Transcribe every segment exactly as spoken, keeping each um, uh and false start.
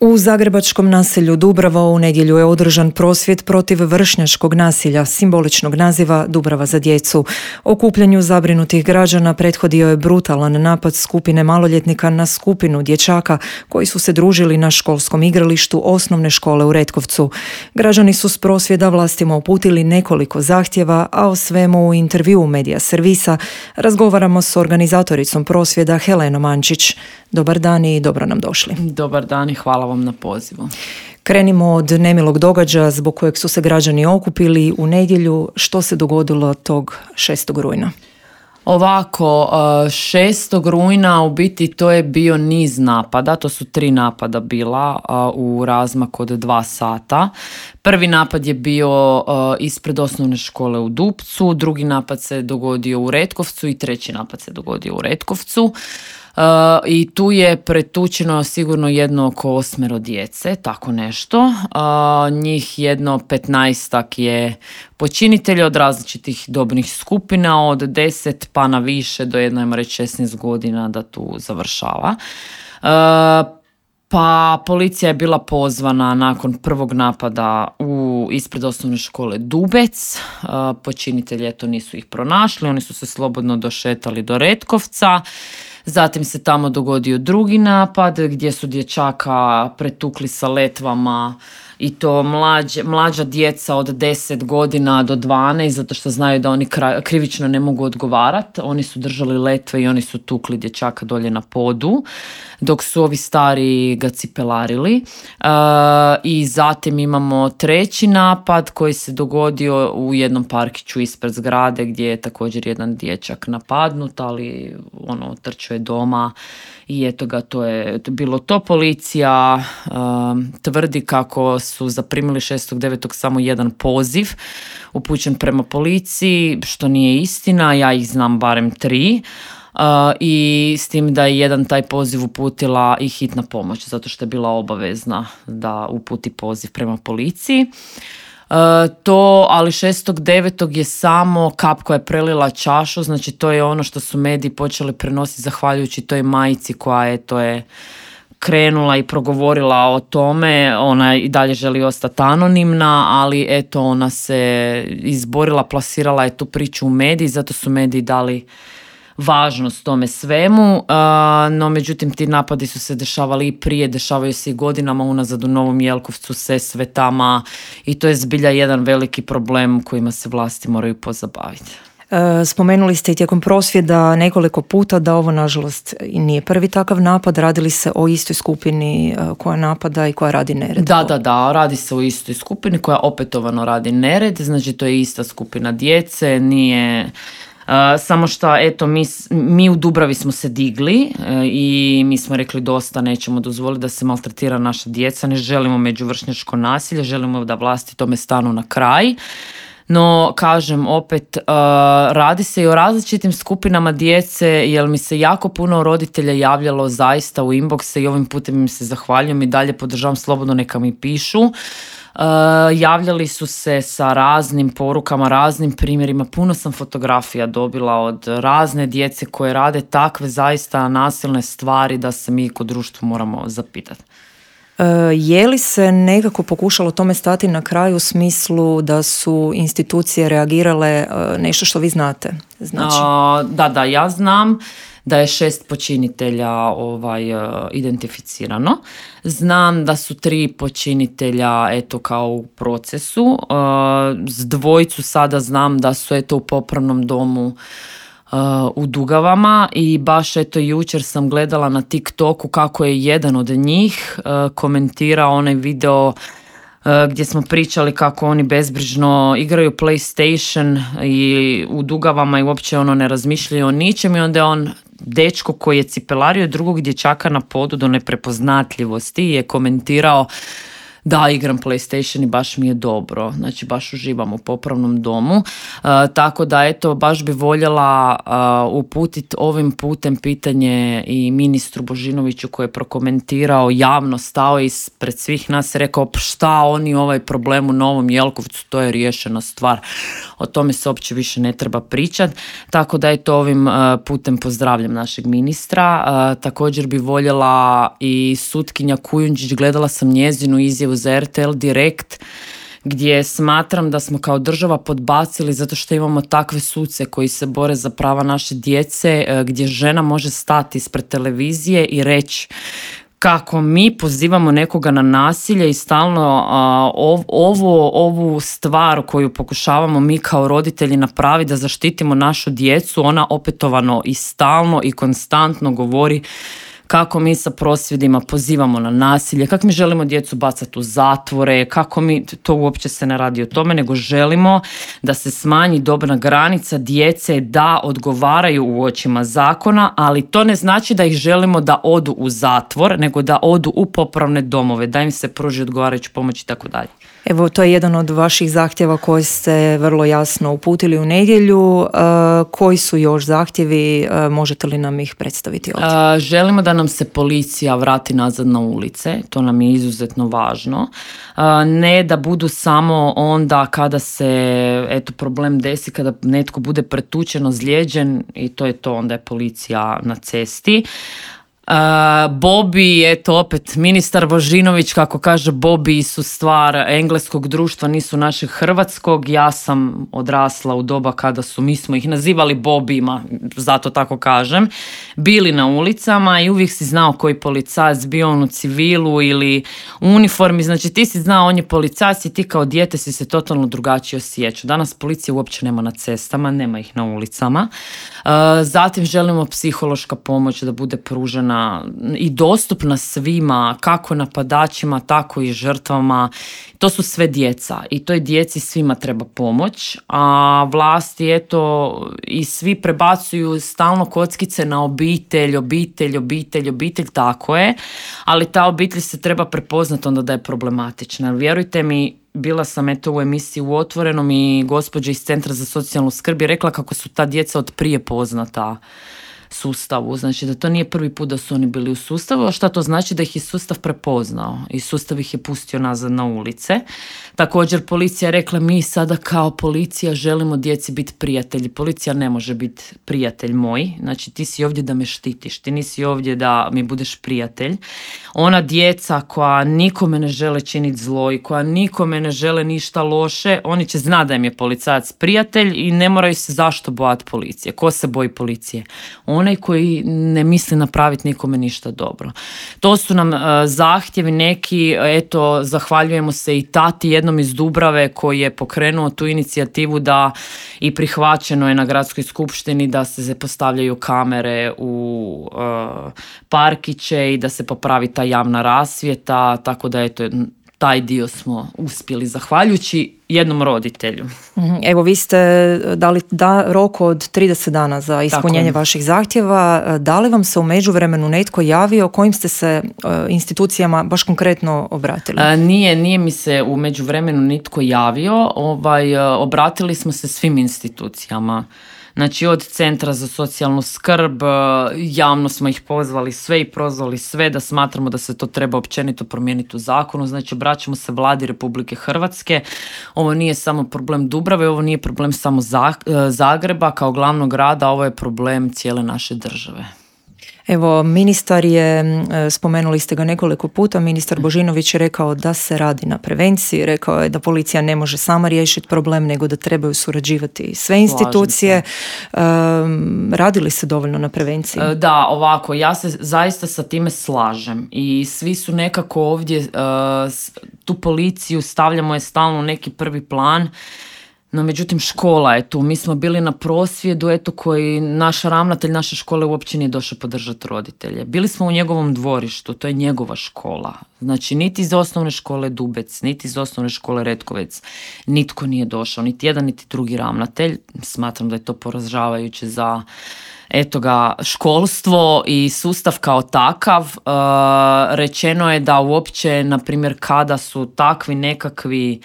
U zagrebačkom naselju Dubrava u nedjelju je održan prosvjed protiv vršnjačkog nasilja, simboličnog naziva Dubrava za djecu. Okupljanju zabrinutih građana prethodio je brutalan napad skupine maloljetnika na skupinu dječaka koji su se družili na školskom igralištu osnovne škole u Retkovcu. Građani su s prosvjeda vlastima uputili nekoliko zahtjeva, a o svemu u intervjuu Medija servisa razgovaramo s organizatoricom prosvjeda Helenom Ančić. Dobar dan i dobro nam došli. Dobar dan i hvala vam na pozivu. Krenimo od nemilog događaja zbog kojeg su se građani okupili u nedjelju. Što se dogodilo tog šestog rujna? Ovako, šestog rujna u biti to je bio niz napada, to su tri napada bila u razmaku od dva sata. Prvi napad je bio ispred osnovne škole u Dupcu, drugi napad se dogodio u Retkovcu i treći napad se dogodio u Retkovcu. Uh, i tu je pretučeno sigurno jedno oko osmero djece, tako nešto. Uh, njih jedno petnaestak je počinitelja od različitih dobnih skupina, od deset pa na više do jedno, ajmo reći, šesnaest godina da tu završava. Uh, Pa policija je bila pozvana nakon prvog napada u ispred osnovne škole Dubec. Počinitelji eto nisu ih pronašli, oni su se slobodno došetali do Retkovca. Zatim se tamo dogodio drugi napad gdje su dječaka pretukli sa letvama i to mlađe, mlađa djeca od deset godina do dvanaest, zato što znaju da oni krivično ne mogu odgovarati. Oni su držali letve i oni su tukli dječaka dolje na podu, dok su ovi stari ga cipelarili. Uh, I zatim imamo treći napad koji se dogodio u jednom parkiću ispred zgrade gdje je također jedan dječak napadnut, ali ono, trčao je doma i eto ga, to je bilo to. Policija uh, tvrdi kako su zaprimili šestog devetog samo jedan poziv upućen prema policiji, što nije istina, ja ih znam barem tri. Uh, i s tim da je jedan taj poziv uputila i hitna pomoć, zato što je bila obavezna da uputi poziv prema policiji. Uh, to, ali šestog devetog je samo kap koja je prelila čašu, znači to je ono što su mediji počeli prenositi zahvaljujući toj majici koja je, to je krenula i progovorila o tome. Ona i dalje želi ostati anonimna, ali eto ona se izborila, plasirala je tu priču u mediji, zato su mediji dali važnost tome svemu, uh, no međutim ti napadi su se dešavali i prije, dešavaju se i godinama unazad u Novom Jelkovcu, Sesvetama i to je zbilja jedan veliki problem kojima se vlasti moraju pozabaviti. Spomenuli ste i tijekom prosvjeda nekoliko puta da ovo nažalost i nije prvi takav napad, radili se o istoj skupini koja napada i koja radi nered. Da, da, da, radi se o istoj skupini koja opetovano radi nered, znači to je ista skupina djece, nije... Uh, samo što, eto, mi, mi u Dubravi smo se digli uh, i mi smo rekli dosta, nećemo dozvoliti da se maltretira naša djeca, ne želimo međuvršnjačko nasilje, želimo da vlasti tome stanu na kraj. No, kažem, opet, uh, radi se i o različitim skupinama djece, jer mi se jako puno roditelja javljalo zaista u inboxe i ovim putem im se zahvaljujem i dalje podržavam, slobodno neka mi pišu. Uh, javljali su se sa raznim porukama, raznim primjerima, puno sam fotografija dobila od razne djece koje rade takve zaista nasilne stvari da se mi kod društva moramo zapitati. Uh, je li se nekako pokušalo tome stati na kraju u smislu da su institucije reagirale, uh, nešto što vi znate? Znači... Uh, da, da, ja znam da je šest počinitelja ovaj, uh, identificirano. Znam da su tri počinitelja eto kao u procesu. Uh, s dvojicu sada znam da su eto u popravnom domu uh, u Dugavama i baš eto jučer sam gledala na TikToku kako je jedan od njih uh, komentirao onaj video gdje smo pričali kako oni bezbrižno igraju PlayStation i u Dugavama i uopće ono ne razmišljaju o ničem i onda je on, dečko koji je cipelario drugog dječaka na podu do neprepoznatljivosti, je komentirao Da, igram PlayStation i baš mi je dobro, znači baš uživam u popravnom domu, uh, tako da eto, baš bi voljela uh, uputiti ovim putem pitanje i ministru Božinoviću koji je prokomentirao, javno stao ispred svih nas, rekao šta oni ovaj problem u Novom Jelkovcu, to je riješena stvar, o tome se uopće više ne treba pričati, tako da eto, ovim uh, putem pozdravljam našeg ministra. Uh, također bi voljela i sutkinja Kujundžić, gledala sam njezinu izjavu za R T L Direkt, gdje smatram da smo kao država podbacili zato što imamo takve suce koji se bore za prava naše djece, gdje žena može stati ispred televizije i reći kako mi pozivamo nekoga na nasilje i stalno a, ov, ovo, ovu stvar koju pokušavamo mi kao roditelji napraviti da zaštitimo našu djecu, ona opetovano i stalno i konstantno govori kako mi sa prosvjedima pozivamo na nasilje, kako mi želimo djecu bacati u zatvore, kako mi, to uopće se ne radi o tome, nego želimo da se smanji dobna granica djece da odgovaraju u očima zakona, ali to ne znači da ih želimo da odu u zatvor, nego da odu u popravne domove, da im se pruži odgovarajuću pomoć i tako dalje. Evo, to je jedan od vaših zahtjeva koji ste vrlo jasno uputili u nedjelju. E, koji su još zahtjevi? E, možete li nam ih predstaviti ovdje? E, želimo da nam se policija vrati nazad na ulice, to nam je izuzetno važno. E, ne da budu samo onda kada se eto, problem desi, kada netko bude pretučen, ozlijeđen i to je to, onda je policija na cesti. Uh, Bobi, eto opet ministar Božinović, kako kaže, Bobi su stvar engleskog društva, nisu našeg hrvatskog. Ja sam odrasla u doba kada su, mi smo ih nazivali Bobima, zato tako kažem, bili na ulicama i uvijek si znao koji policajac, bio on u civilu ili u uniformi, znači ti si znao on je policajac i ti kao dijete si se totalno drugačije osjećao. Danas policije uopće nema na cestama, nema ih na ulicama. Uh, zatim želimo psihološka pomoć da bude pružena i dostupna svima, kako napadačima, tako i žrtvama. To su sve djeca i toj djeci svima treba pomoć, a vlasti eto i svi prebacuju stalno kockice na obitelj, obitelj, obitelj, obitelj, tako je, ali ta obitelj se treba prepoznati onda da je problematična. Vjerujte mi, bila sam eto u emisiji u Otvorenom i gospođa iz Centra za socijalnu skrb je rekla kako su ta djeca od prije poznata sustavu, znači da to nije prvi put da su oni bili u sustavu, a šta to znači? Da ih je sustav prepoznao i sustav ih je pustio nazad na ulice. Također policija je rekla mi sada kao policija želimo djeci biti prijatelji. Policija ne može biti prijatelj moj, znači ti si ovdje da me štitiš, ti nisi ovdje da mi budeš prijatelj. Ona djeca koja nikome ne žele činiti zlo i koja nikome ne žele ništa loše, oni će znati da im je policajac prijatelj i ne moraju se zašto bojati policije. Ko se boji policije? Onaj koji ne misli napraviti nikome ništa dobro. To su nam uh, zahtjevi neki, eto, zahvaljujemo se i tati jednom iz Dubrave koji je pokrenuo tu inicijativu da i prihvaćeno je na gradskoj skupštini da se postavljaju kamere u uh, parkiće i da se popravi ta javna rasvjeta, tako da eto, taj dio smo uspjeli zahvaljujući jednom roditelju. Evo, vi ste dali da, rok od trideset dana za ispunjenje Tako. vaših zahtjeva. Da li vam se u međuvremenu netko javio, kojim ste se uh, institucijama baš konkretno obratili? A, nije, nije mi se u međuvremenu nitko javio. Ovaj, obratili smo se svim institucijama. Znači od Centra za socijalnu skrb, javno smo ih pozvali sve i prozvali sve da smatramo da se to treba općenito promijeniti u zakonu. Znači obraćamo se Vladi Republike Hrvatske. Ovo nije samo problem Dubrave, ovo nije problem samo Zagreba kao glavnog grada, ovo je problem cijele naše države. Evo, ministar je, spomenuli ste ga nekoliko puta, ministar Božinović je rekao da se radi na prevenciji, rekao je da policija ne može sama riješiti problem, nego da trebaju surađivati sve institucije. Um, radi li se dovoljno na prevenciji? Da, ovako, ja se zaista sa time slažem i svi su nekako ovdje, uh, tu policiju stavljamo je stalno u neki prvi plan. No, međutim, škola je tu. Mi smo bili na prosvjedu, eto, koji naš ravnatelj naše škole uopće nije došao podržati roditelje. Bili smo u njegovom dvorištu, to je njegova škola. Znači, niti iz osnovne škole Dubec, niti iz osnovne škole Retkovec, nitko nije došao, niti jedan, niti drugi ravnatelj. Smatram da je to poražavajuće za eto ga, školstvo i sustav kao takav. E, rečeno je da uopće, na primjer, kada su takvi nekakvi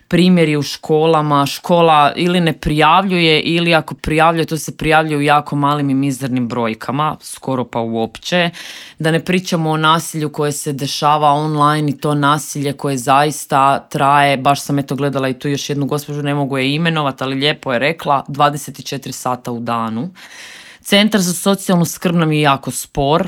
primjeri u školama, škola ili ne prijavljuje ili ako prijavljuje, to se prijavljuje u jako malim i mizernim brojkama, skoro pa uopće. Da ne pričamo o nasilju koje se dešava online i to nasilje koje zaista traje, baš sam eto gledala i tu još jednu gospođu, ne mogu je imenovati, ali lijepo je rekla, dvadeset četiri sata u danu. Centar za socijalnu skrb nam je jako spor.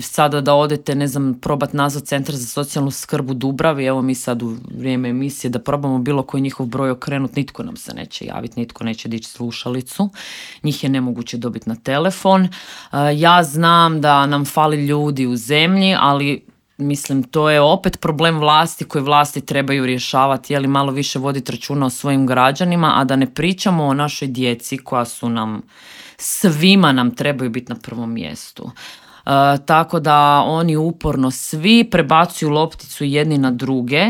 Sada da odete, ne znam, probat nazvat Centar za socijalnu skrb u Dubravi, evo mi sad u vrijeme emisije da probamo bilo koji njihov broj okrenut, nitko nam se neće javiti, nitko neće dići slušalicu, njih je nemoguće dobiti na telefon. Ja znam da nam fali ljudi u zemlji, ali mislim to je opet problem vlasti koji vlasti trebaju rješavati, je li malo više voditi računa o svojim građanima, a da ne pričamo o našoj djeci koja su nam, svima nam trebaju biti na prvom mjestu. Uh, tako da oni uporno svi prebacuju lopticu jedni na druge,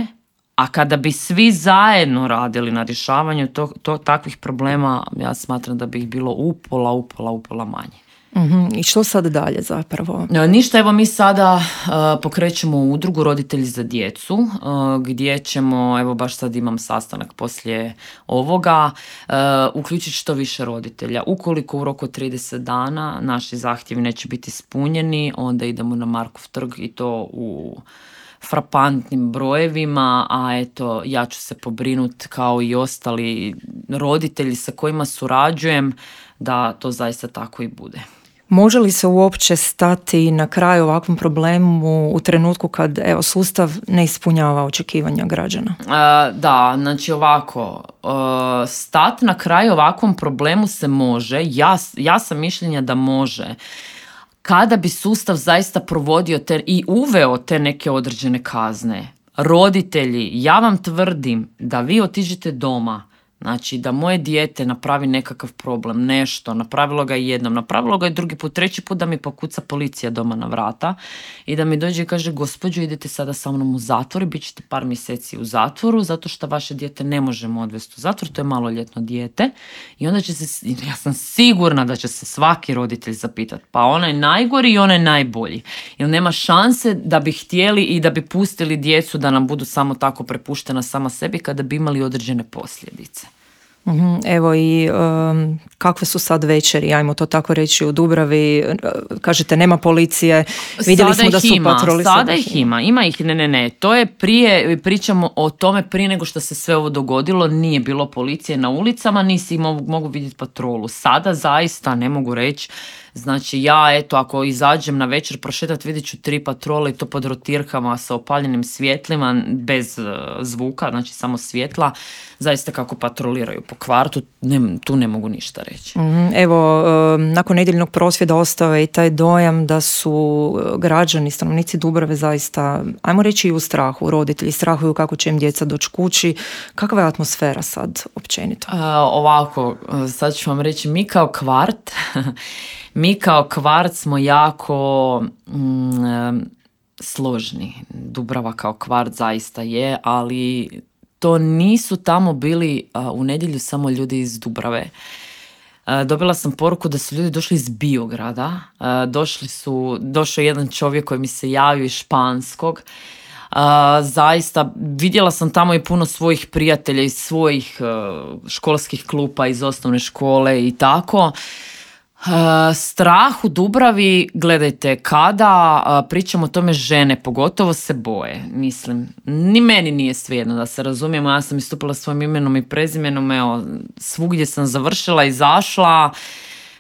a kada bi svi zajedno radili na rješavanju to, to, takvih problema, ja smatram da bi ih bilo upola, upola, upola manje. Mm-hmm. I što sad dalje zapravo? Ništa, evo mi sada uh, pokrećemo udrugu Roditelji za djecu, uh, gdje ćemo, evo baš sad imam sastanak poslije ovoga, uh, uključiti što više roditelja. Ukoliko u roku trideset dana naši zahtjevi neće biti ispunjeni, onda idemo na Markov trg i to u frapantnim brojevima, a eto ja ću se pobrinuti kao i ostali roditelji sa kojima surađujem da to zaista tako i bude. Može li se uopće stati na kraj ovakvom problemu u trenutku kad evo, sustav ne ispunjava očekivanja građana? Uh, da, znači ovako, uh, stat na kraj ovakvom problemu se može, ja, ja sam mišljenja da može, kada bi sustav zaista provodio te, i uveo te neke određene kazne. Roditelji, ja vam tvrdim da vi otiđete doma, znači da moje dijete napravi nekakav problem, nešto, napravilo ga jednom, napravilo ga i drugi put, treći put da mi pokuca policija doma na vrata i da mi dođe i kaže gospođo idete sada sa mnom u zatvor i bit ćete par mjeseci u zatvoru zato što vaše dijete ne možemo odvesti u zatvor, to je maloljetno dijete i onda će se, ja sam sigurna da će se svaki roditelj zapitati pa onaj najgori i onaj najbolji jer nema šanse da bi htjeli i da bi pustili djecu da nam budu samo tako prepuštena sama sebi kada bi imali određene posljedice. Uhum, evo i um, kakve su sad večeri, ajmo to tako reći u Dubravi, kažete nema policije, vidjeli sada smo da su ima, patroli. Sada, sada ih ima, ima ih, ne, ne, ne, to je prije, pričamo o tome prije nego što se sve ovo dogodilo, nije bilo policije na ulicama, nisi mogu, mogu vidjeti patrolu, sada zaista ne mogu reći. Znači ja, eto, ako izađem na večer prošetat vidjet ću tri patrole i to pod rotirkama sa opaljenim svjetlima, bez uh, zvuka, znači samo svjetla, zaista kako patroliraju po kvartu, ne, tu ne mogu ništa reći. Mm, evo, uh, nakon nedjeljnog prosvjeda ostao je i taj dojam da su građani, stanovnici Dubrave zaista, ajmo reći i u strahu, roditelji strahuju kako će im djeca doći kući, kakva je atmosfera sad općenito? Uh, ovako, sad ću vam reći, mi kao kvart, mi kao kvart smo jako mm, složni. Dubrava kao kvart zaista je, ali to nisu tamo bili uh, u nedjelju samo ljudi iz Dubrave. Uh, dobila sam poruku da su ljudi došli iz Biograda. Uh, došli su, došao je jedan čovjek koji mi se javio iz Španskog. Uh, zaista vidjela sam tamo i puno svojih prijatelja iz svojih uh, školskih klupa iz osnovne škole i tako. Uh, strah u Dubravi, gledajte, kada uh, pričamo o tome žene, pogotovo se boje, mislim, ni meni nije svejedno da se razumijemo, ja sam istupila svojim imenom i prezimenom, evo, svugdje sam završila, izašla,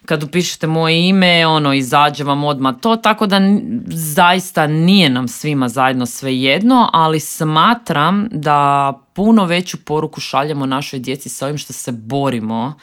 kad upišete moje ime, ono, izađe vam odmah to, tako da zaista nije nam svima zajedno svejedno, ali smatram da puno veću poruku šaljemo našoj djeci sa ovim što se borimo,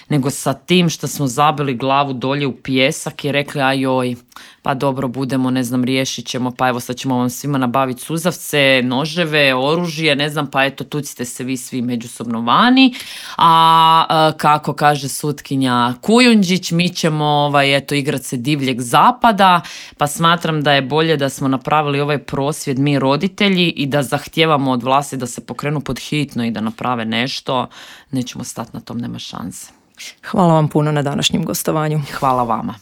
nego sa tim što smo zabili glavu dolje u pijesak i rekli ajoj, pa dobro budemo, ne znam, riješit ćemo, pa evo sad ćemo vam svima nabaviti suzavce, noževe, oružje, ne znam, pa eto tucite se vi svi međusobno vani, a, a kako kaže sutkinja Kujundžić, mi ćemo ovaj, eto, igrat se divljeg zapada, pa smatram da je bolje da smo napravili ovaj prosvjed mi roditelji i da zahtijevamo od vlasti da se pokrenu pod hitno i da naprave nešto, nećemo stati na tom, nema šanse. Hvala vam puno na današnjem gostovanju. Hvala vama.